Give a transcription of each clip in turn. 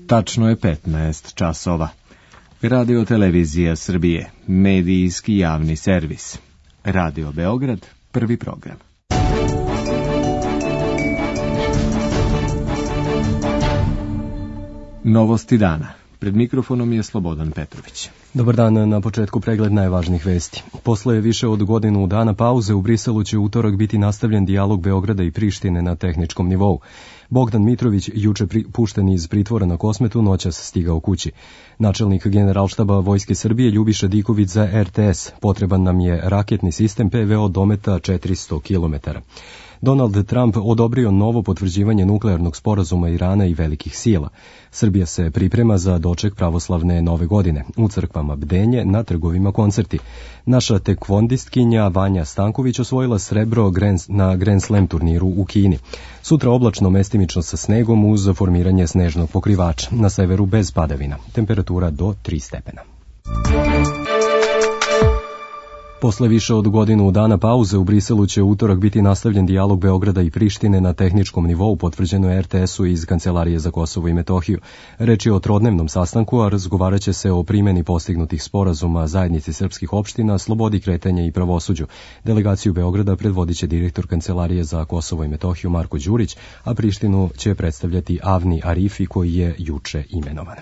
Tačno je 15 časova. Radio Televizija Srbije, medijski javni servis. Radio Beograd, prvi program. Novosti dana. Pred mikrofonom je Slobodan Petrović. Dobar dan, na početku pregled najvažnijih vesti. Posle više od godinu dana pauze u Briselu će utorak biti nastavljen dijalog Beograda i Prištine na tehničkom nivou. Bogdan Mitrović, juče pušten iz pritvora na Kosmetu, noćas stigao kući. Načelnik Generalštaba Vojske Srbije Ljubiša Diković za RTS. Potreban nam je raketni sistem PVO dometa 400 km. Donald Trump odobrio novo potvrđivanje nuklearnog sporazuma Irana i velikih sila. Srbija se priprema za doček pravoslavne nove godine. U crkvama bdenje, na trgovima koncerti. Naša tekvondistkinja Vanja Stanković osvojila srebro na Grand Slam turniru u Kini. Sutra oblačno, mestimično sa snegom uz formiranje snežnog pokrivača. Na severu bez padavina. Temperatura do 3 stepena. Posle više od godinu dana pauze u Briselu će utorak biti nastavljen dijalog Beograda i Prištine na tehničkom nivou, potvrđeno je RTS-u iz Kancelarije za Kosovo i Metohiju. Reč je o trodnevnom sastanku, a razgovarat će se o primjeni postignutih sporazuma zajednici srpskih opština, slobodi kretanja i pravosuđu. Delegaciju Beograda predvodit će direktor Kancelarije za Kosovo i Metohiju Marko Đurić, a Prištinu će predstavljati Avni Arifi, koji je juče imenovan.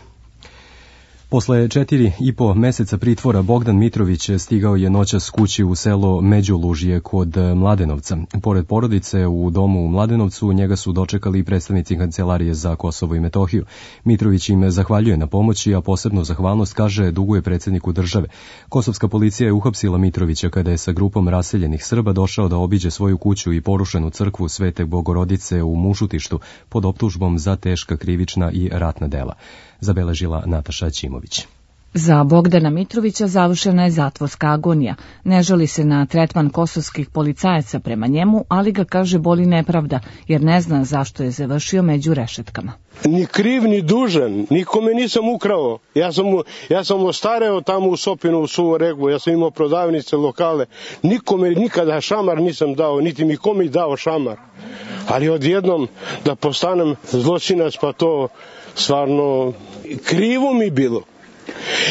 Posle 4,5 meseca pritvora Bogdan Mitrović stigao je noćas kući u selo Međulužje kod Mladenovca. Pored porodice u domu u Mladenovcu njega su dočekali predstavnici Kancelarije za Kosovo i Metohiju. Mitrović im zahvaljuje na pomoći, a posebnu zahvalnost, kaže, duguje predsjedniku države. Kosovska policija je uhapsila Mitrovića kada je sa grupom raseljenih Srba došao da obiđe svoju kuću i porušenu crkvu Svete Bogorodice u Mušutištu pod optužbom za teška krivična i ratna dela. Zabeležila Nataša Ćimović. Za Bogdana Mitrovića završena je zatvorska agonija. Ne žali se na tretman kosovskih policajaca prema njemu, ali ga, kaže, boli nepravda, jer ne zna zašto je završio među rešetkama. Ni kriv, ni dužan, nikome nisam ukrao. Ja sam ostareo tamo u Sopinu, u Suvom Regu, ja sam imao prodavnice, lokale. Nikome nikada šamar nisam dao, niti mi kome dao šamar. Ali odjednom da postanem zločinac, pa to stvarno krivo mi bilo.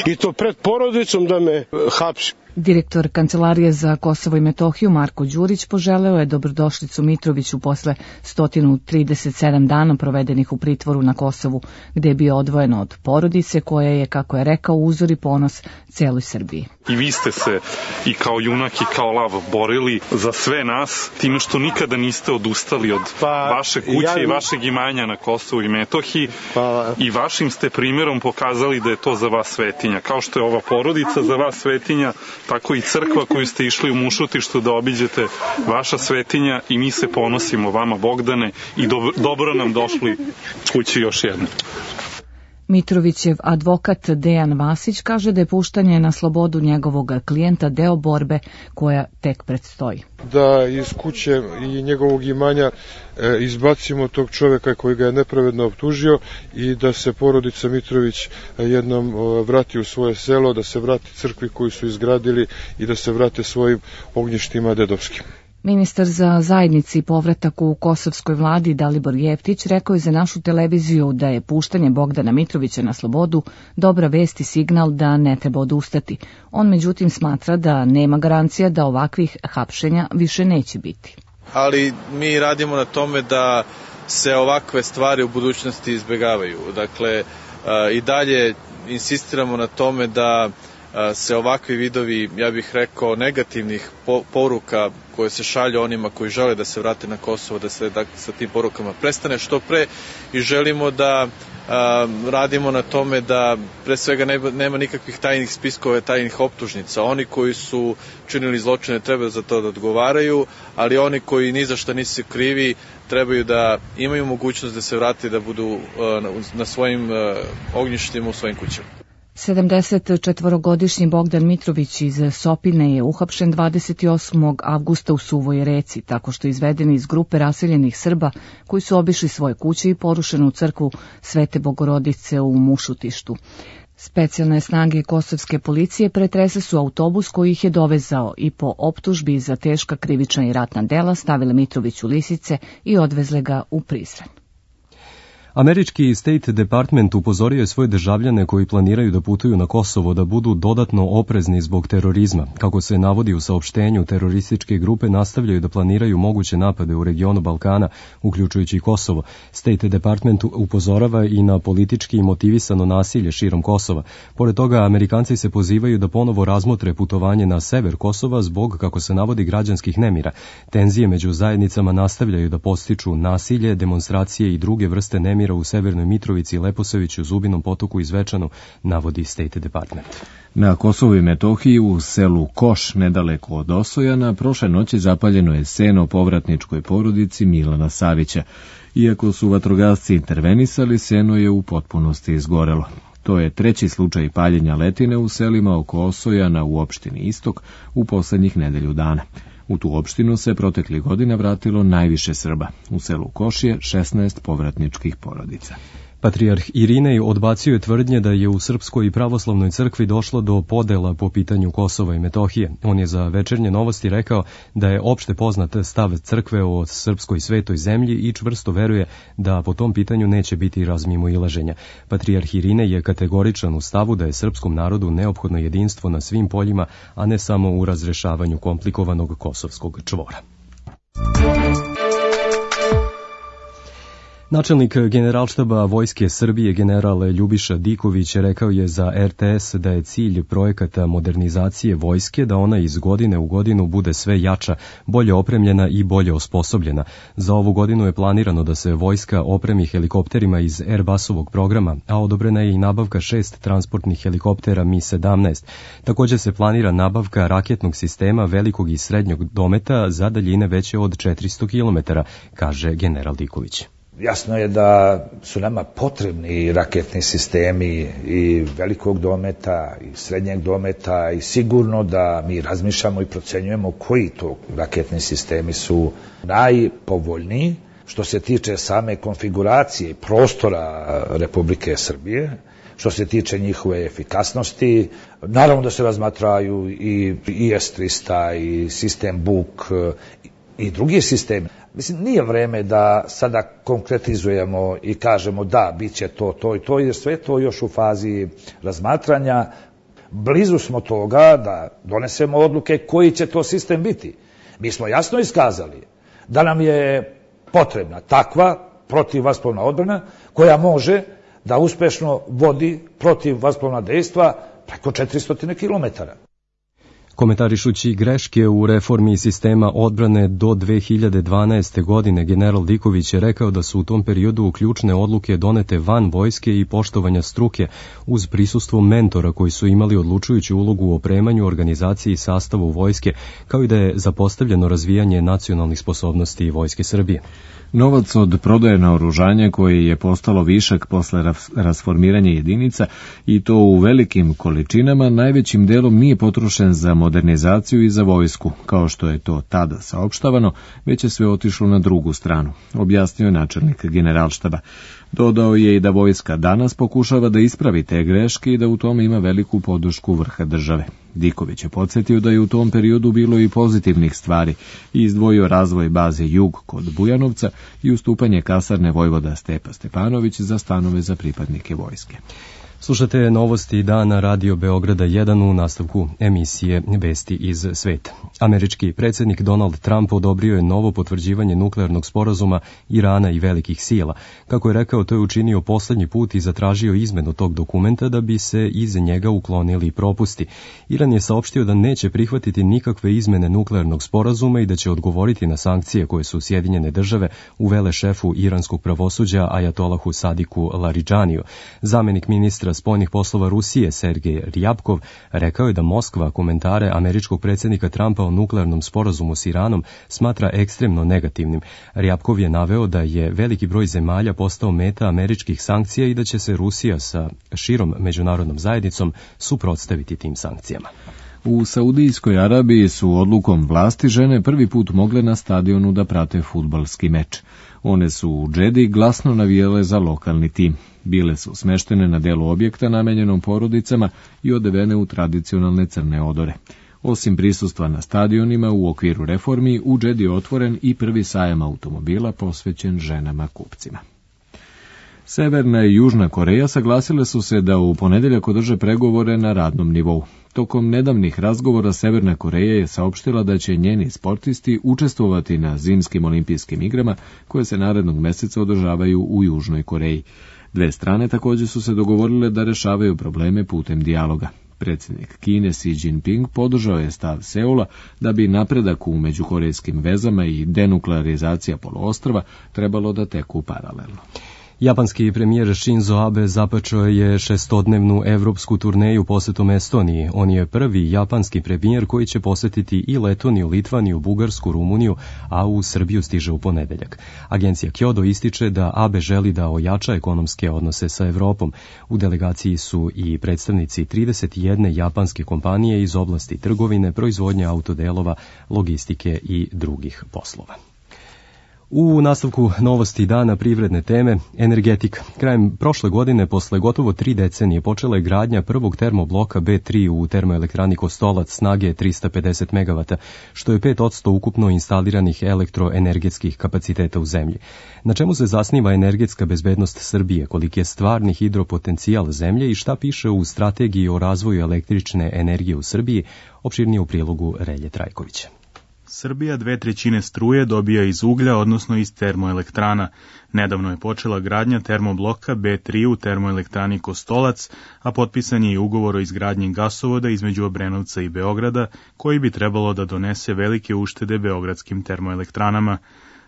I to pred porodicom da me hapsi. Direktor Kancelarije za Kosovo i Metohiju Marko Đurić poželeo je dobrodošlicu Mitroviću posle 137 dana provedenih u pritvoru na Kosovu, gde je bio odvojen od porodice koja je, kako je rekao, uzor i ponos celoj Srbiji. I vi ste se i kao junak i kao lav borili za sve nas, time što nikada niste odustali od vaše kuće i vašeg imanja na Kosovu i Metohiji i vašim ste primjerom pokazali da je to za vas svetinja. Kao što je ova porodica za vas svetinja, tako i crkva koju ste išli u Mušutištu da obiđete, vaša svetinja, i mi se ponosimo vama, Bogdane, i dobro nam došli kući još jedno. Mitrovićev advokat Dejan Vasić kaže da je puštanje na slobodu njegovog klijenta deo borbe koja tek predstoji. Da iz kuće i njegovog imanja izbacimo tog čoveka koji ga je nepravedno optužio i da se porodica Mitrović jednom vrati u svoje selo, da se vrati crkvi koju su izgradili i da se vrate svojim ognjištima dedovskim. Ministar za zajednici i povratak u kosovskoj vladi Dalibor Jeftić rekao je za našu televiziju da je puštanje Bogdana Mitrovića na slobodu dobra vest i signal da ne treba odustati. On međutim smatra da nema garancija da ovakvih hapšenja više neće biti. Ali mi radimo na tome da se ovakve stvari u budućnosti izbjegavaju. Dakle, i dalje insistiramo na tome da se ovakvi vidovi, ja bih rekao, negativnih poruka koje se šalju onima koji žele da se vrate na Kosovo, da se sa tim porukama prestane što pre, i želimo da radimo na tome da pre svega nema nikakvih tajnih spiskova, tajnih optužnica. Oni koji su činili zločine treba za to da odgovaraju, ali oni koji ni za šta nisu krivi trebaju da imaju mogućnost da se vrate, da budu na svojim ognjištima u svojim kućama. 74-godišnji Bogdan Mitrović iz Sopine je uhapšen 28. avgusta u Suvoj Reci, tako što je izveden iz grupe raseljenih Srba koji su obišli svoje kuće i porušenu crkvu Svete Bogorodice u Mušutištu. Specijalne snage kosovske policije pretresle su autobus koji ih je dovezao i po optužbi za teška krivična i ratna dela stavile Mitrović u lisice i odvezle ga u Prizren. Američki State Department upozorio je svoje državljane koji planiraju da putuju na Kosovo da budu dodatno oprezni zbog terorizma. Kako se navodi u saopštenju, terorističke grupe nastavljaju da planiraju moguće napade u regionu Balkana, uključujući i Kosovo. State Department upozorava i na politički motivisano nasilje širom Kosova. Pored toga, Amerikanci se pozivaju da ponovo razmotre putovanje na sever Kosova zbog, kako se navodi, građanskih nemira. Tenzije među zajednicama nastavljaju da podstiču nasilje, demonstracije i druge vrste nemira u Severnoj Mitrovici, Leposaviću, Zubinom Potoku i Zvečanu, navodi State Department. Na Kosovu i Metohiji u selu Koš, nedaleko od Osojana, prošle noći zapaljeno je seno povratničkoj porodici Milana Savića. Iako su vatrogasci intervenisali, seno je u potpunosti izgorelo. To je treći slučaj paljenja letine u selima oko Osojana u opštini Istok u poslednjih nedelju dana. U tu opštinu se proteklih godina vratilo najviše Srba. U selu Koš je 16 povratničkih porodica. Patrijarh Irinej odbacio je tvrdnje da je u Srpskoj i pravoslavnoj crkvi došlo do podela po pitanju Kosova i Metohije. On je za Večernje novosti rekao da je opšte poznat stav crkve o srpskoj svetoj zemlji i čvrsto veruje da po tom pitanju neće biti razmimoilaženja. Patrijarh Irinej je kategoričan u stavu da je srpskom narodu neophodno jedinstvo na svim poljima, a ne samo u razrešavanju komplikovanog kosovskog čvora. Načelnik Generalštaba Vojske Srbije general Ljubiša Diković rekao je za RTS da je cilj projekata modernizacije vojske da ona iz godine u godinu bude sve jača, bolje opremljena i bolje osposobljena. Za ovu godinu je planirano da se vojska opremi helikopterima iz Airbusovog programa, a odobrena je i nabavka 6 transportnih helikoptera Mi-17. Također se planira nabavka raketnog sistema velikog i srednjeg dometa za daljine veće od 400 km, kaže general Diković. Jasno je da su nama potrebni raketni sistemi i velikog dometa i srednjeg dometa i sigurno da mi razmišljamo i procenjujemo koji to raketni sistemi su najpovoljniji što se tiče same konfiguracije prostora Republike Srbije, što se tiče njihove efikasnosti. Naravno da se razmatraju i IS-300 i sistem Buk i drugi sistemi. Mislim, nije vreme da sada konkretizujemo i kažemo da, bit će to i to, jer sve to još u fazi razmatranja. Blizu smo toga da donesemo odluke koji će to sistem biti. Mi smo jasno iskazali da nam je potrebna takva protivvazplovna odbrana koja može da uspešno vodi protivvazplovna dejstva preko 400 km. Komentarišući greške u reformi sistema odbrane do 2012. godine, general Diković je rekao da su u tom periodu ključne odluke donete van vojske i poštovanja struke, uz prisustvo mentora koji su imali odlučujuću ulogu u opremanju, organizaciji i sastavu vojske, kao i da je zapostavljeno razvijanje nacionalnih sposobnosti Vojske Srbije. Novac od prodaje naoružanja koje je postalo višak posle rasformiranja jedinica i to u velikim količinama najvećim delom nije potrošen za modernizaciju i za vojsku, kao što je to tada saopštavano, već je sve otišlo na drugu stranu, objasnio je načelnik Generalštaba. Dodao je i da vojska danas pokušava da ispravi te greške i da u tome ima veliku podršku vrha države. Diković je podsjetio da je u tom periodu bilo i pozitivnih stvari i izdvojio razvoj baze Jug kod Bujanovca i ustupanje kasarne vojvoda Stepa Stepanović za stanove za pripadnike vojske. Slušate novosti dana Radio Beograda 1 u nastavku emisije Vesti iz sveta. Američki predsjednik Donald Trump odobrio je novo potvrđivanje nuklearnog sporazuma Irana i velikih sila. Kako je rekao, to je učinio poslednji put i zatražio izmenu tog dokumenta da bi se iz njega uklonili propusti. Iran je saopštio da neće prihvatiti nikakve izmene nuklearnog sporazuma i da će odgovoriti na sankcije koje su Sjedinjene države uvele šefu iranskog pravosuđa Ajatolahu Sadiku Laridžaniju. Zamenik ministra spoljnih poslova Rusije Sergej Rjabkov rekao je da Moskva komentare američkog predsjednika Trumpa o nuklearnom sporazumu s Iranom smatra ekstremno negativnim. Rjabkov je naveo da je veliki broj zemalja postao meta američkih sankcija i da će se Rusija sa širom međunarodnom zajednicom suprotstaviti tim sankcijama. U Saudijskoj Arabiji su odlukom vlasti žene prvi put mogle na stadionu da prate fudbalski meč. One su u Džedi glasno navijale za lokalni tim. Bile su smeštene na delu objekta namenjenom porodicama i odevene u tradicionalne crne odore. Osim prisustva na stadionima u okviru reformi, u Džedi je otvoren i prvi sajam automobila posvećen ženama kupcima. Severna i Južna Koreja saglasile su se da u ponedeljak održe pregovore na radnom nivou. Tokom nedavnih razgovora Severna Koreja je saopštila da će njeni sportisti učestvovati na zimskim olimpijskim igrama koje se narednog meseca održavaju u Južnoj Koreji. Dve strane također su se dogovorile da rešavaju probleme putem dijaloga. Predsjednik Kine Xi Jinping podržao je stav Seula da bi napredak u međukorejskim vezama i denuklearizacija poluostrva trebalo da teku paralelno. Japanski premijer Shinzo Abe započeo je 6-dnevnu evropsku turneju posetom Estoniji. On je prvi japanski premijer koji će posetiti i Letoniju, Litvaniju, Bugarsku, Rumuniju, a u Srbiju stiže u ponedeljak. Agencija Kyodo ističe da Abe želi da ojača ekonomske odnose sa Evropom. U delegaciji su i predstavnici 31 japanske kompanije iz oblasti trgovine, proizvodnje autodelova, logistike i drugih poslova. U nastavku novosti dana privredne teme, energetika. Krajem prošle godine, posle gotovo 3 decenije, počela je gradnja prvog termobloka B3 u termoelektrani Kostolac snage 350 MW, što je 5% ukupno instaliranih elektroenergetskih kapaciteta u zemlji. Na čemu se zasniva energetska bezbednost Srbije, koliki je stvarni hidropotencijal zemlje i šta piše u strategiji o razvoju električne energije u Srbiji, opširnije u prilogu Relje Trajkovića. Srbija 2/3 struje dobija iz uglja, odnosno iz termoelektrana. Nedavno je počela gradnja termobloka B3 u termoelektrani Kostolac, a potpisan je i ugovor o izgradnji gasovoda između Obrenovca i Beograda, koji bi trebalo da donese velike uštede beogradskim termoelektranama.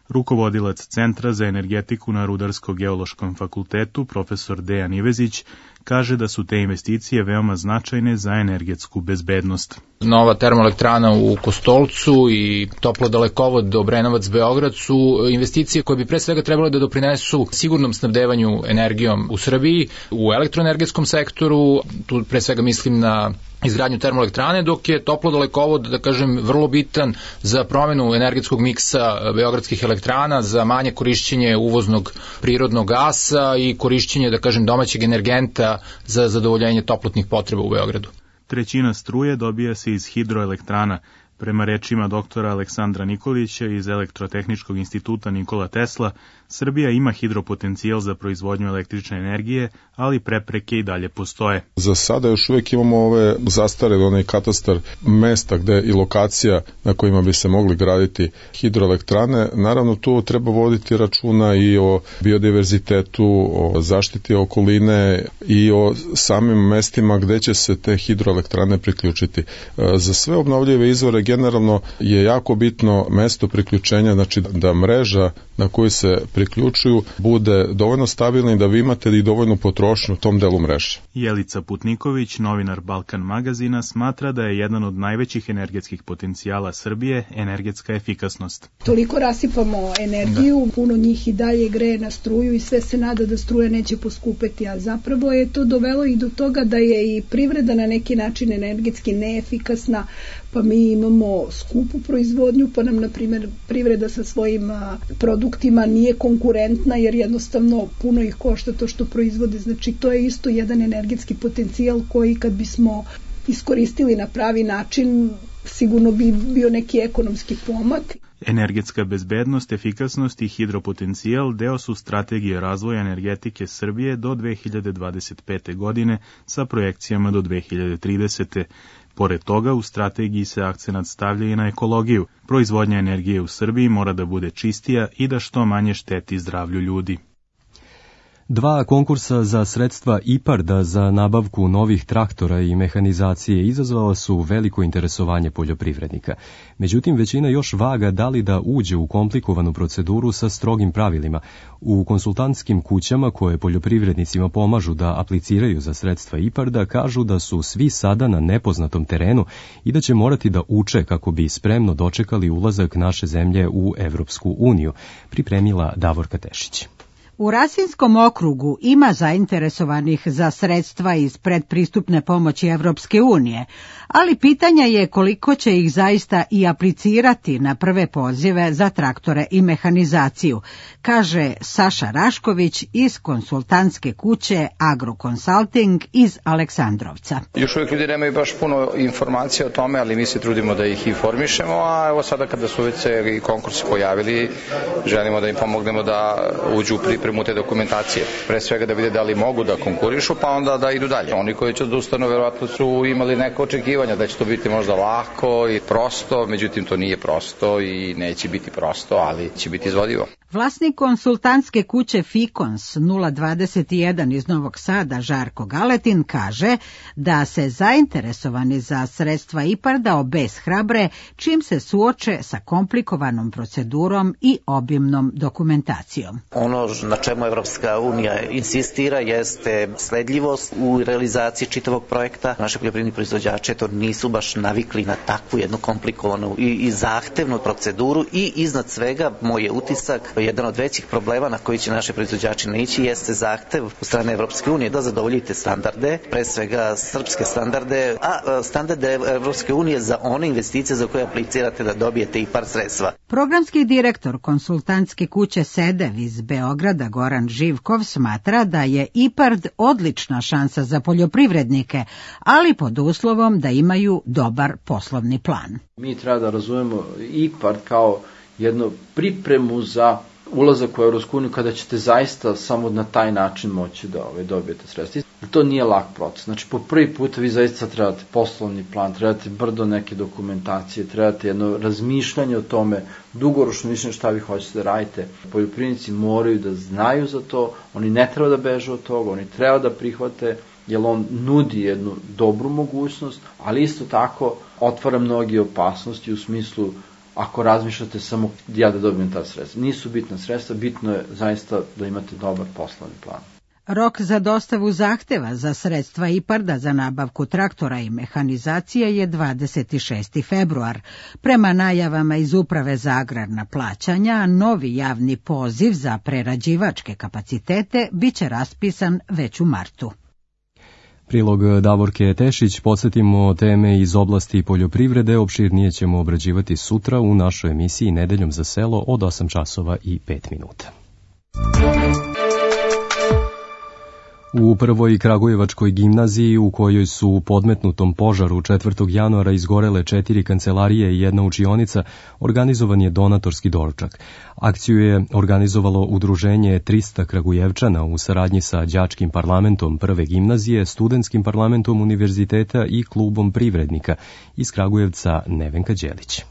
Rukovodilac Centra za energetiku na Rudarsko-geološkom fakultetu, profesor Dejan Ivezić, kaže da su te investicije veoma značajne za energetsku bezbednost. Nova termoelektrana u Kostolcu i toplodalekovod Obrenovac-Beograd su investicije koje bi pre svega trebalo da doprinesu sigurnom snabdevanju energijom u Srbiji, u elektroenergetskom sektoru, tu pre svega mislim na izgradnju termoelektrane, dok je toplodalekovod, da kažem, vrlo bitan za promenu energetskog miksa beogradskih elektrana, za manje korišćenje uvoznog prirodnog gasa i korišćenje, da kažem, domaćeg energenta za zadovoljenje toplotnih potreba u Beogradu. 1/3 struje dobija se iz hidroelektrana. Prema rečima doktora Aleksandra Nikolića iz Elektrotehničkog instituta Nikola Tesla, Srbija ima hidropotencijal za proizvodnju električne energije, ali prepreke i dalje postoje. Za sada još uvijek imamo ove zastarele, onaj katastar mesta gde i lokacija na kojima bi se mogli graditi hidroelektrane. Naravno, tu treba voditi računa i o biodiverzitetu, o zaštiti okoline i o samim mestima gde će se te hidroelektrane priključiti. Za sve obnovljive izvore generalno je jako bitno mesto priključenja, znači da mreža na koju se priključuju bude dovoljno stabilna i da vi imate i dovoljnu potrošnju u tom delu mreže. Jelica Putniković, novinar Balkan magazina, smatra da je jedan od najvećih energetskih potencijala Srbije energetska efikasnost. Toliko rasipamo energiju, puno njih i dalje greje na struju i sve se nada da struja neće poskupeti, a zapravo je to dovelo i do toga da je i privreda na neki način energetski neefikasna, pa mi imamo skupu proizvodnju, pa nam, na primjer, privreda sa svojim produktima nije konkurentna, jer jednostavno puno ih košta to što proizvode. Znači, to je isto jedan energetski potencijal koji, kad bismo iskoristili na pravi način, sigurno bi bio neki ekonomski pomak. Energetska bezbednost, efikasnost i hidropotencijal deo su strategije razvoja energetike Srbije do 2025. godine sa projekcijama do 2030. Pored toga, u strategiji se akcenat stavlja i na ekologiju. Proizvodnja energije u Srbiji mora da bude čistija i da što manje šteti zdravlju ljudi. 2 konkursa za sredstva IPARD-a za nabavku novih traktora i mehanizacije izazvala su veliko interesovanje poljoprivrednika. Međutim, većina još vaga da li da uđe u komplikovanu proceduru sa strogim pravilima. U konsultantskim kućama koje poljoprivrednicima pomažu da apliciraju za sredstva IPARD-a kažu da su svi sada na nepoznatom terenu i da će morati da uče kako bi spremno dočekali ulazak naše zemlje u Evropsku uniju, pripremila Davorka Tešić. U Rasinskom okrugu ima zainteresovanih za sredstva iz predpristupne pomoći Evropske unije, ali pitanje je koliko će ih zaista i aplicirati na prve pozive za traktore i mehanizaciju, kaže Saša Rašković iz konsultantske kuće Agroconsulting iz Aleksandrovca. Još uvijek ljudi nemaju baš puno informacija o tome, ali mi se trudimo da ih informišemo, a evo sada kada su već i konkursi pojavili, želimo da im pomognemo da uđu u pripremu te dokumentacije. Pre svega da vide da li mogu da konkurišu, pa onda da idu dalje. Oni koji će odustanu verovatno su imali neke očekivanja da će to biti možda lako i prosto, međutim to nije prosto i neće biti prosto, ali će biti izvodivo. Vlasnik konsultantske kuće Fikons 021 iz Novog Sada, Žarko Galetin, kaže da se zainteresovani za sredstva IPARD-a obeshrabre čim se suoče sa komplikovanom procedurom i obimnom dokumentacijom. Ono na čemu Evropska unija insistira jeste sledljivost u realizaciji čitavog projekta. Naši poljoprivredni proizvođači to nisu baš navikli na takvu jednu komplikovanu i zahtevnu proceduru i iznad svega moj je utisak jedan od većih problema na koji će naši proizvođači naići jeste zahtev u strane Evropske unije da zadovoljite standarde, pre svega srpske standarde, a standarde Evropske unije za one investicije za koje aplicirate da dobijete IPARD sredstva. Programski direktor konsultantske kuće SEDEV iz Beograda Goran Živkov smatra da je IPARD odlična šansa za poljoprivrednike, ali pod uslovom da imaju dobar poslovni plan. Mi treba da razumemo IPARD kao jednu pripremu za ulazak u Evropsku uniju kada ćete zaista samo na taj način moći da dobijete sredstva. To nije lak proces. Znači, po prvi put vi zaista trebate poslovni plan, trebate brdo neke dokumentacije, trebate jedno razmišljanje o tome, dugoročno mišljenje šta vi hoćete da radite. Poljoprivrednici moraju da znaju za to, oni ne treba da beže od toga, oni treba da prihvate, jer on nudi jednu dobru mogućnost, ali isto tako otvara mnoge opasnosti u smislu ako razmišljate samo ja da dobijem ta sredstva. Nisu bitna sredstva, bitno je zaista da imate dobar poslovni plan. Rok za dostavu zahteva za sredstva IPARD-a za nabavku traktora i mehanizacije je 26. februar. Prema najavama iz Uprave za agrarna plaćanja, novi javni poziv za prerađivačke kapacitete biće raspisan već u martu. Prilog Davorke Tešić, podsjetimo teme iz oblasti poljoprivrede, opširnije ćemo obrađivati sutra u našoj emisiji Nedeljom za selo od 8 časova i 5 minuta. U prvoj Kragujevačkoj gimnaziji, u kojoj su u podmetnutom požaru 4. januara izgorele 4 kancelarije i 1 učionica, organizovan je donatorski doručak. Akciju je organizovalo udruženje 300 Kragujevčana u saradnji sa đačkim parlamentom prve gimnazije, studentskim parlamentom univerziteta i klubom privrednika. Iz Kragujevca Nevenka Đelić.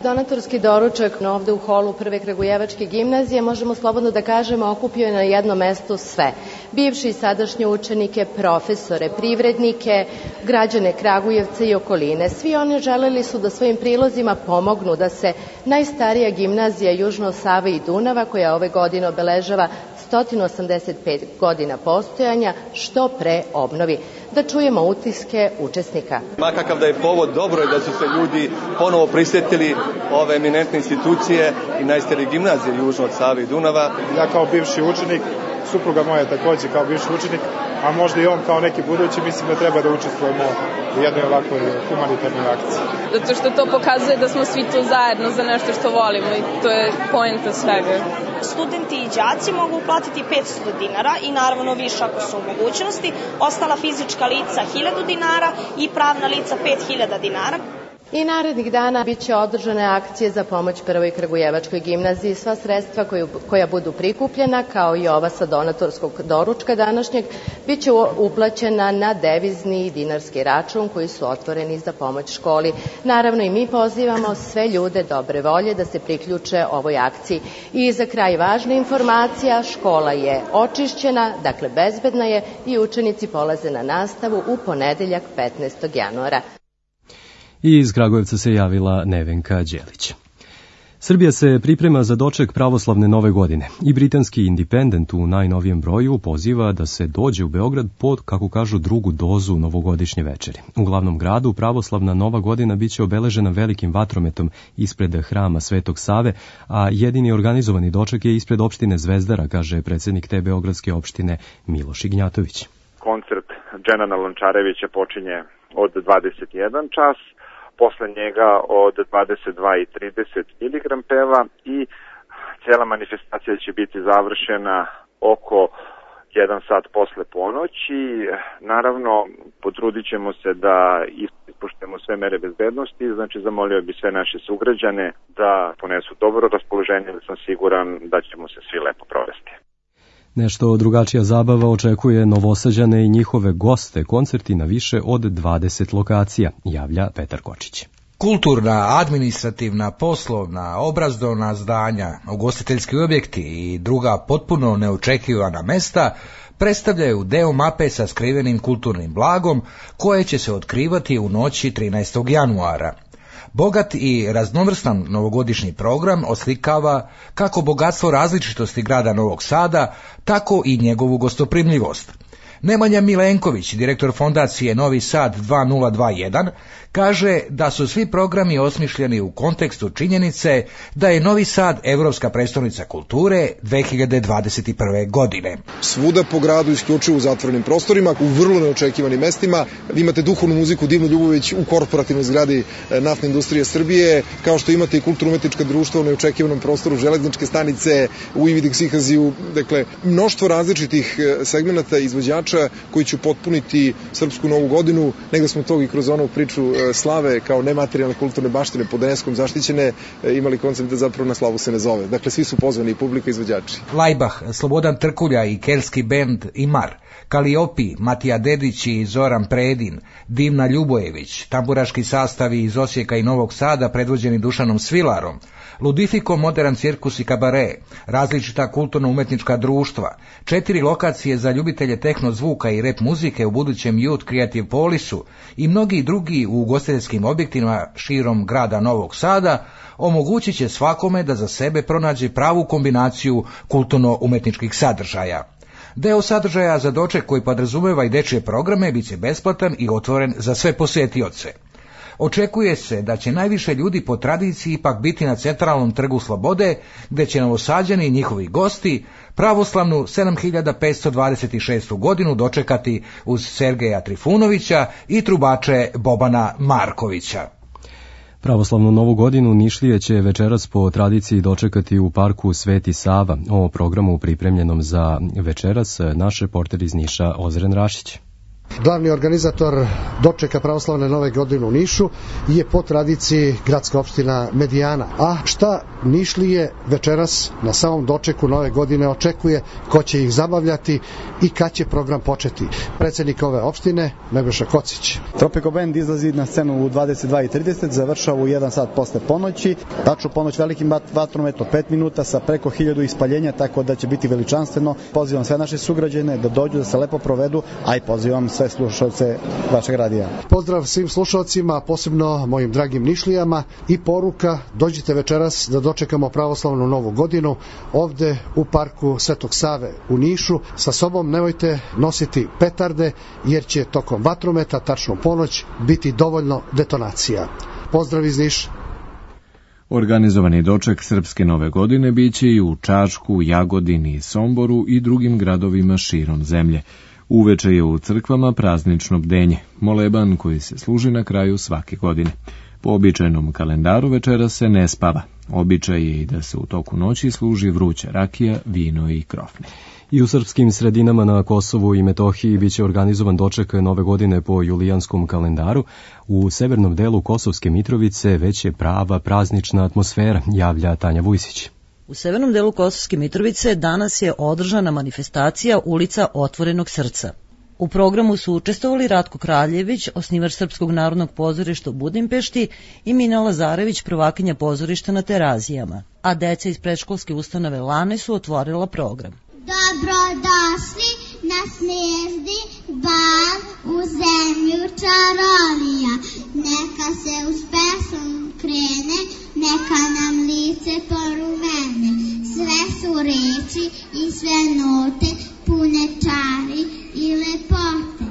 Donatorski doručak ovde u holu prve Kragujevačke gimnazije, možemo slobodno da kažemo, okupio je na jedno mesto sve. Bivši i sadašnje učenike, profesore, privrednike, građane Kragujevca i okoline. Svi oni želeli su da svojim prilozima pomognu da se najstarija gimnazija južno od Save i Dunava, koja ove godine obeležava 185 godina postojanja, što pre obnovi. Da čujemo utiske učesnika. Makakav da je povod, dobro je da su se ljudi ponovo prisjetili ove eminentne institucije i najstarije gimnazije južno od Save i Dunava. Ja kao bivši učenik, supruga moja takođe kao bivši učenik, a možda i on kao neki budući, mislim da treba da učestvujemo u jednoj ovakvoj humanitarnoj akciji. Zato što to pokazuje da smo svi tu zajedno za nešto što volimo i to je poenta svega. Studenti i đaci mogu uplatiti 500 dinara i naravno više ako su u mogućnosti, ostala fizička lica 1000 dinara i pravna lica 5000 dinara. I narednih dana biće održane akcije za pomoć prvoj Kragujevačkoj gimnaziji. Sva sredstva koja budu prikupljena, kao i ova sa donatorskog doručka današnjeg, biće uplaćena na devizni i dinarski račun koji su otvoreni za pomoć školi. Naravno i mi pozivamo sve ljude dobre volje da se priključe ovoj akciji. I za kraj važna informacija, škola je očišćena, dakle bezbedna je i učenici polaze na nastavu u ponedeljak 15. januara. I iz Kragujevca se javila Nevenka Đelić. Srbija se priprema za doček pravoslavne nove godine i britanski Independent u najnovijem broju poziva da se dođe u Beograd pod, kako kažu, drugu dozu novogodišnje večeri. U glavnom gradu pravoslavna nova godina biće obeležena velikim vatrometom ispred hrama Svetog Save, a jedini organizovani doček je ispred opštine Zvezdara, kaže predsjednik te beogradske opštine Miloš Ignjatović. Koncert Dženana Lončarevića počinje od 21 čas, posle njega od 22:30 Miligram peva i cijela manifestacija će biti završena oko 1 sat posle ponoći. Naravno, potrudit ćemo se da ispoštujemo sve mere bezbednosti, znači zamolio bi sve naše sugrađane da ponesu dobro raspoloženje, da sam siguran da ćemo se svi lepo provesti. Nešto drugačija zabava očekuje Novosađane i njihove goste, koncerti na više od 20 lokacija, javlja Petar Kočić. Kulturna, administrativna, poslovna, obrazovna zdanja, ugostiteljski objekti i druga potpuno neočekivana mesta predstavljaju deo mape sa skrivenim kulturnim blagom koje će se otkrivati u noći 13. januara. Bogat i raznovrstan novogodišnji program oslikava kako bogatstvo različitosti grada Novog Sada, tako i njegovu gostoprimljivost. Nemanja Milenković, direktor fondacije Novi Sad 2021, kaže da su svi programi osmišljeni u kontekstu činjenice da je Novi Sad evropska prestolnica kulture 2021. godine. Svuda po gradu, isključivo u zatvorenim prostorima, u vrlo neočekivanim mestima. Vi imate duhovnu muziku Divnu Ljubović u korporativnoj zgradi Naftne industrije Srbije, kao što imate i kulturno-umetnička društva u neočekivanom prostoru Železničke stanice, u Ividik Sihaziju. Dakle, mnoštvo različitih segmenata izvođača koji će potpuniti srpsku novu godinu. Negde smo to i kroz onu priču slave kao nematerijalne kulturne baštine pod UNESCO-om zaštićene imali koncept da zapravo na slavu se ne zove. Dakle, svi su pozvani, i publika i izvođači. Lajbah, Slobodan Trkulja i kelski bend Imar, Kaliopi, Matija Dedić i Zoran Predin, Divna Ljubojević, tamburaški sastavi iz Osijeka i Novog Sada predvođeni Dušanom Svilarom, Ludifiko, Modern cirkus i kabare, različita kulturno-umetnička društva, 4 lokacije za ljubitelje tehno zvuka i rap muzike u budućem Youth Creative Polisu i mnogi drugi u ugostiteljskim objektima širom grada Novog Sada omogućit će svakome da za sebe pronađe pravu kombinaciju kulturno-umetničkih sadržaja. Deo sadržaja za doček koji podrazumeva i dečije programe bit će besplatan i otvoren za sve posetioce. Očekuje se da će najviše ljudi po tradiciji ipak biti na centralnom trgu Slobode, gde će Novosađani i njihovi gosti pravoslavnu 7526. godinu dočekati uz Sergeja Trifunovića i trubače Bobana Markovića. Pravoslavnu novu godinu Nišlije će večeras po tradiciji dočekati u parku Sveti Sava. O programu pripremljenom za večeras naš reporter iz Niša Ozren Rašić. Glavni organizator dočeka pravoslavne nove godine u Nišu je po tradiciji gradska opština Medijana. A šta Nišlije večeras na samom dočeku nove godine očekuje, ko će ih zabavljati i kad će program početi? Predsednik ove opštine, Nebojša Kocić. Tropico Band izlazi na scenu u 22:30, završava u 1 sat posle ponoći. Tačno ponoć velikim vatrometom 5 minuta sa preko 1000 ispaljenja, tako da će biti veličanstveno. Pozivam sve naše sugrađane da dođu, da se lepo provedu, a i pozivam sve slušalce vašeg radija. Pozdrav svim slušalcima, posebno mojim dragim Nišlijama i poruka, dođite večeras da dočekamo pravoslavnu novu godinu ovde u parku Svetog Save u Nišu. Sa sobom nemojte nositi petarde jer će tokom vatrometa, tačno ponoć, biti dovoljno detonacija. Pozdrav iz Niša. Organizovani doček Srpske nove godine biće i u Čačku, Jagodini, Somboru i drugim gradovima širom zemlje. Uveče je u crkvama praznično bdenje, moleban koji se služi na kraju svake godine. Po običajnom kalendaru večera se ne spava. Običaj je i da se u toku noći služi vruća rakija, vino i krofne. I u srpskim sredinama na Kosovu i Metohiji biće organizovan doček nove godine po julijanskom kalendaru. U severnom delu Kosovske Mitrovice već je prava praznična atmosfera, javlja Tanja Vujsić. U severnom delu Kosovske Mitrovice danas je održana manifestacija Ulica otvorenog srca. U programu su učestvovali Ratko Kraljević, osnivač Srpskog narodnog pozorišta u Budimpešti, i Mina Lazarević, prvakinja pozorišta na Terazijama, a deca iz predškolske ustanove Lane su otvorila program. Dobrodošli na snježni bal u zemlju čarovija, neka se uz pesmu krene, neka nam lice porumene, sve su reči i sve note pune čari i lepote.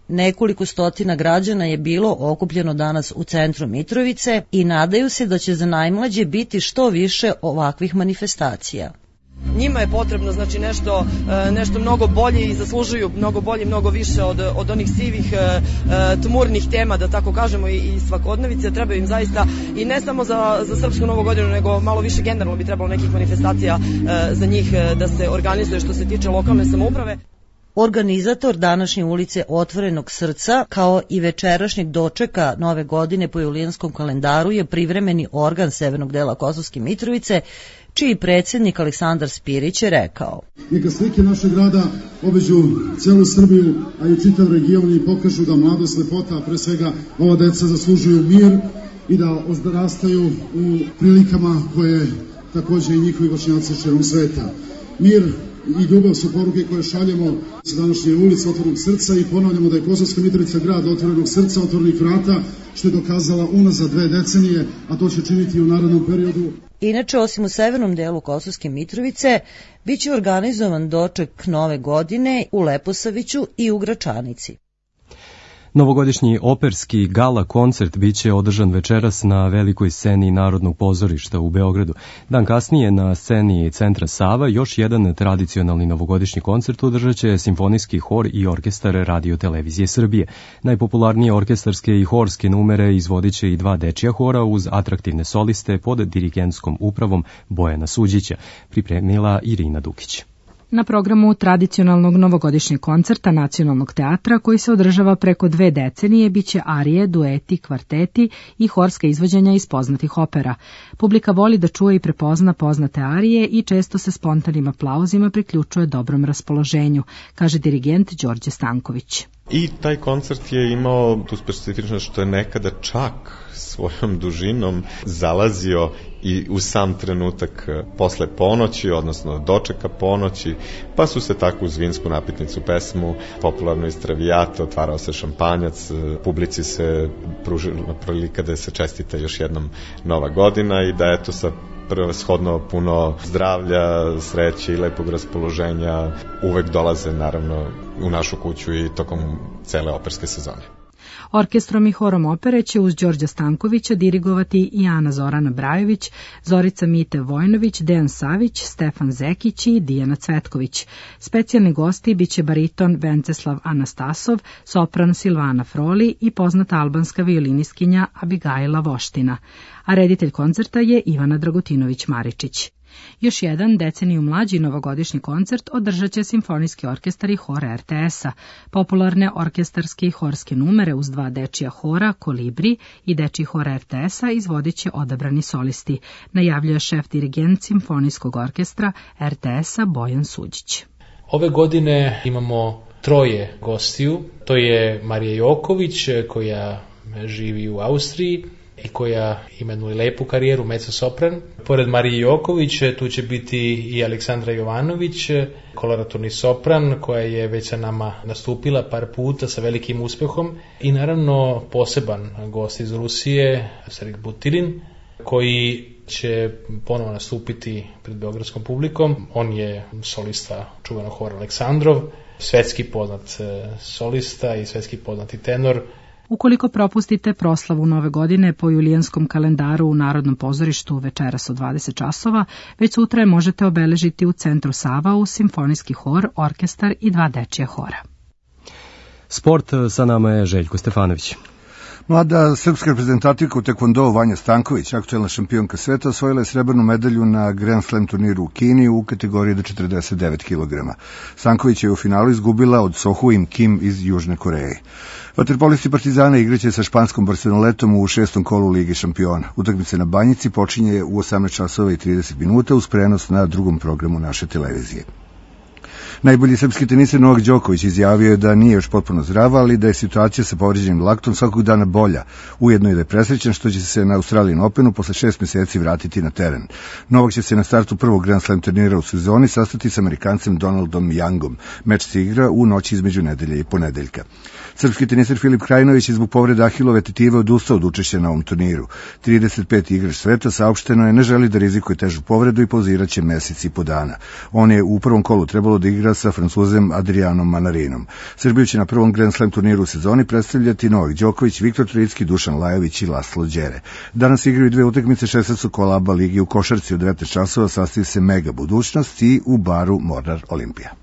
Nekoliko stotina građana je bilo okupljeno danas u centru Mitrovice i nadaju se da će za najmlađe biti što više ovakvih manifestacija. Njima je potrebno znači nešto mnogo bolje i zaslužuju mnogo bolje, mnogo više od onih sivih tmurnih tema, da tako kažemo, i svakodnevice. Treba im zaista, i ne samo za Srpsku novu godinu, nego malo više generalno bi trebalo nekih manifestacija za njih da se organizuje što se tiče lokalne samouprave. Organizator današnje ulice otvorenog srca, kao i večerašnjeg dočeka nove godine po julijanskom kalendaru, je privremeni organ severnog dela Kosovske Mitrovice, čiji predsjednik Aleksandar Spirić je rekao: Neka slike našeg grada obiđu celu Srbiju, a i čitav region i pokažu da mladost, lepota, a pre svega ova deca zaslužuju mir i da odrastaju u prilikama koje takođe i njihovi vršnjaci širom sveta. Mir i ljubav su poruke koje šaljemo sa današnje ulice Otvorenog srca i ponavljamo da je Kosovska Mitrovica grad Otvorenog srca, otvorenih vrata, što je dokazala unazad 2 decenije, a to će činiti i u narednom periodu. Inače, osim u severnom delu Kosovske Mitrovice, bit će organizovan doček Nove godine u Leposaviću i u Gračanici. Novogodišnji operski gala koncert biće održan večeras na velikoj sceni Narodnog pozorišta u Beogradu. Dan kasnije na sceni Centra Sava još jedan tradicionalni novogodišnji koncert održat će Simfonijski hor i orkestar Radio Televizije Srbije. Najpopularnije orkestarske i horske numere izvodit će i 2 dečija hora uz atraktivne soliste pod dirigentskom upravom Bojana Suđića, pripremila Irina Dukić. Na programu tradicionalnog novogodišnjeg koncerta Nacionalnog teatra, koji se održava preko 2 decenije, biće arije, dueti, kvarteti i horska izvođenja iz poznatih opera. Publika voli da čuje i prepozna poznate arije i često se spontanim aplauzima priključuje dobrom raspoloženju, kaže dirigent Đorđe Stanković. I taj koncert je imao tu specifičnost što je nekada čak svojom dužinom zalazio i u sam trenutak posle ponoći, odnosno dočeka ponoći, pa su se tako uz vinsku napitnicu pesmu, popularno iz Traviata, otvarao se šampanjac, publici se pružila prilika da se čestita još jednom Nova godina i da eto sa prevashodno puno zdravlja, sreće i lepog raspoloženja uvek dolaze naravno u našu kuću i tokom cele operske sezone. Orkestrom i horom opere će uz Đorđa Stankovića dirigovati i Ana Zorana Brajović, Zorica Mite Vojnović, Dejan Savić, Stefan Zekić i Dijana Cvetković. Specijalni gosti biće bariton Venceslav Anastasov, sopran Silvana Froli i poznata albanska violinistkinja Abigaila Voština. A reditelj koncerta je Ivana Dragutinović-Maričić. Još jedan deceniju mlađi novogodišnji koncert održat će Simfonijski orkestar i hor RTS-a. Popularne orkestarske i horske numere uz 2 dečija hora, Kolibri i dečiji hor RTS-a izvodit će odabrani solisti, najavljuje šef dirigent Simfonijskog orkestra RTS-a Bojan Suđić. Ove godine imamo 3 gostiju, to je Marija Joković koja živi u Austriji i koja imenuje lepu karijeru mezzo-sopran. Pored Marije Joković tu će biti i Aleksandra Jovanović, koloraturni sopran koja je već sa nama nastupila par puta sa velikim uspehom i naravno poseban gost iz Rusije, Sergej Butirin, koji će ponovo nastupiti pred beogradskom publikom. On je solista čuvenog hora Aleksandrov, svetski poznat solista i svetski poznati tenor. Ukoliko propustite proslavu Nove godine po julijanskom kalendaru u Narodnom pozorištu večeras u 20 časova, već sutra je možete obeležiti u Centru Sava uz Simfonijski hor, orkestar i 2 dečija hora. Sport, sa nama je Željko Stefanović. Mlada srpska reprezentativka u tekvondou Vanja Stanković, aktuelna šampionka sveta, osvojila je srebrnu medalju na Grand Slam turniru u Kini u kategoriji do 49 kg. Stanković je u finalu izgubila od Sohuim Kim iz Južne Koreje. Vaterpolisti Partizana igraće sa španskom Barcelonetom u 6. kolu Lige šampiona. Utakmica na Banjici počinje u 18 časova i 30 minuta uz prenos na drugom programu naše televizije. Najbolji srpski teniser Novak Đoković izjavio je da nije još potpuno zdrav, ali da je situacija sa povređenim laktom svakog dana bolja. Ujedno je da je presrećan što će se na Australian Openu posle 6 meseci vratiti na teren. Novak će se na startu prvog Grand Slam turnira u sezoni sastati s Amerikancem Donaldom Youngom. Meč se igra u noći između nedelje i ponedeljka. Srpski teniser Filip Krajinović je zbog povrede Ahilove tetive odustao od učešća na ovom turniru. 35. igrač sveta saopšteno je ne želi da rizikuje težu povredu i pauziraće mesec i po dana. On je u prvom kolu trebalo da igra sa Francuzem Adrianom Manarinom. Srbiju će na prvom Grand Slam turniru u sezoni predstavljati Novak Đoković, Viktor Trojicki, Dušan Lajović i Laslo Đere. Danas igraju 2 utakmice 16. kola ABA ligi u košarci od 19 časova, sastavi se Mega Budućnost i u baru Mornar Olimpija.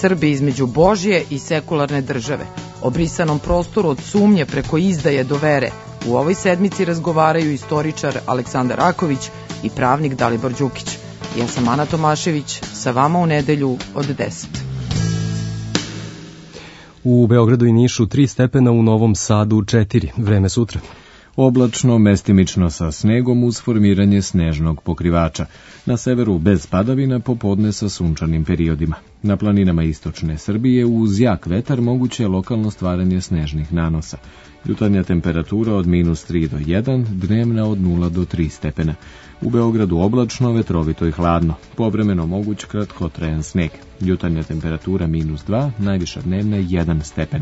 Srbi između Božje i sekularne države, o brisanom prostoru od sumnje preko izdaje do vere. U ovoj sedmici razgovaraju istoričar Aleksandar Raković i pravnik Dalibor Đukić. Ja sam Ana Tomašević, sa vama u nedelju od 10. U Beogradu i Nišu 3 stepena, u Novom Sadu 4. Vreme sutra. Oblačno, mestimično sa snegom uz formiranje snežnog pokrivača. Na severu bez padavina, popodne sa sunčanim periodima. Na planinama istočne Srbije uz jak vetar moguće je lokalno stvaranje snežnih nanosa. Jutarnja temperatura od -3 do 1, dnevna od 0 do 3 stepena. U Beogradu oblačno, vetrovito i hladno. Povremeno moguć kratkotrajan sneg. Jutarnja temperatura -2, najviša dnevna 1 stepen.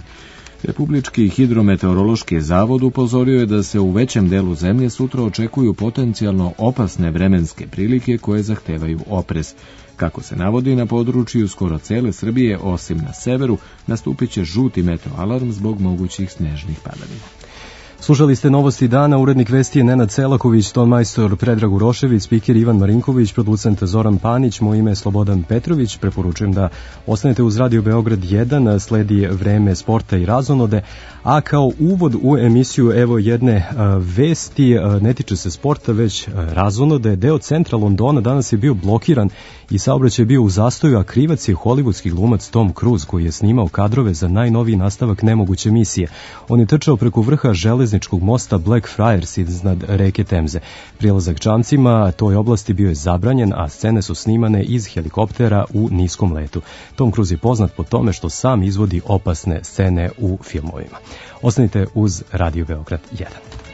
Republički hidrometeorološki zavod upozorio je da se u većem delu zemlje sutra očekuju potencijalno opasne vremenske prilike koje zahtevaju oprez. Kako se navodi, na području skoro cele Srbije, osim na severu, nastupit će žuti meteoalarm zbog mogućih snežnih padavina. Slušali ste Novosti dana, urednik vesti je Nenad Selaković, tonmajstor Predrag Urošević, spiker Ivan Marinković, producent Zoran Panić, moje ime je Slobodan Petrović. Preporučujem da ostanete uz Radio Beograd 1, sledi vreme sporta i razonode, a kao uvod u emisiju evo jedne vesti, ne tiče se sporta, već razonode. Deo centra Londona danas je bio blokiran i saobraćaj je bio u zastoju, a krivac je hollywoodski glumac Tom Cruise, koji je snimao kadrove za najnoviji nastavak Nemoguće misije. On je trčao preko vrha železničkog mosta Blackfriars iznad reke Temze. Prilazak čamcima toj oblasti bio je zabranjen, a scene su snimane iz helikoptera u niskom letu. Tom Cruise je poznat po tome što sam izvodi opasne scene u filmovima. Ostanite uz Radio Beograd 1.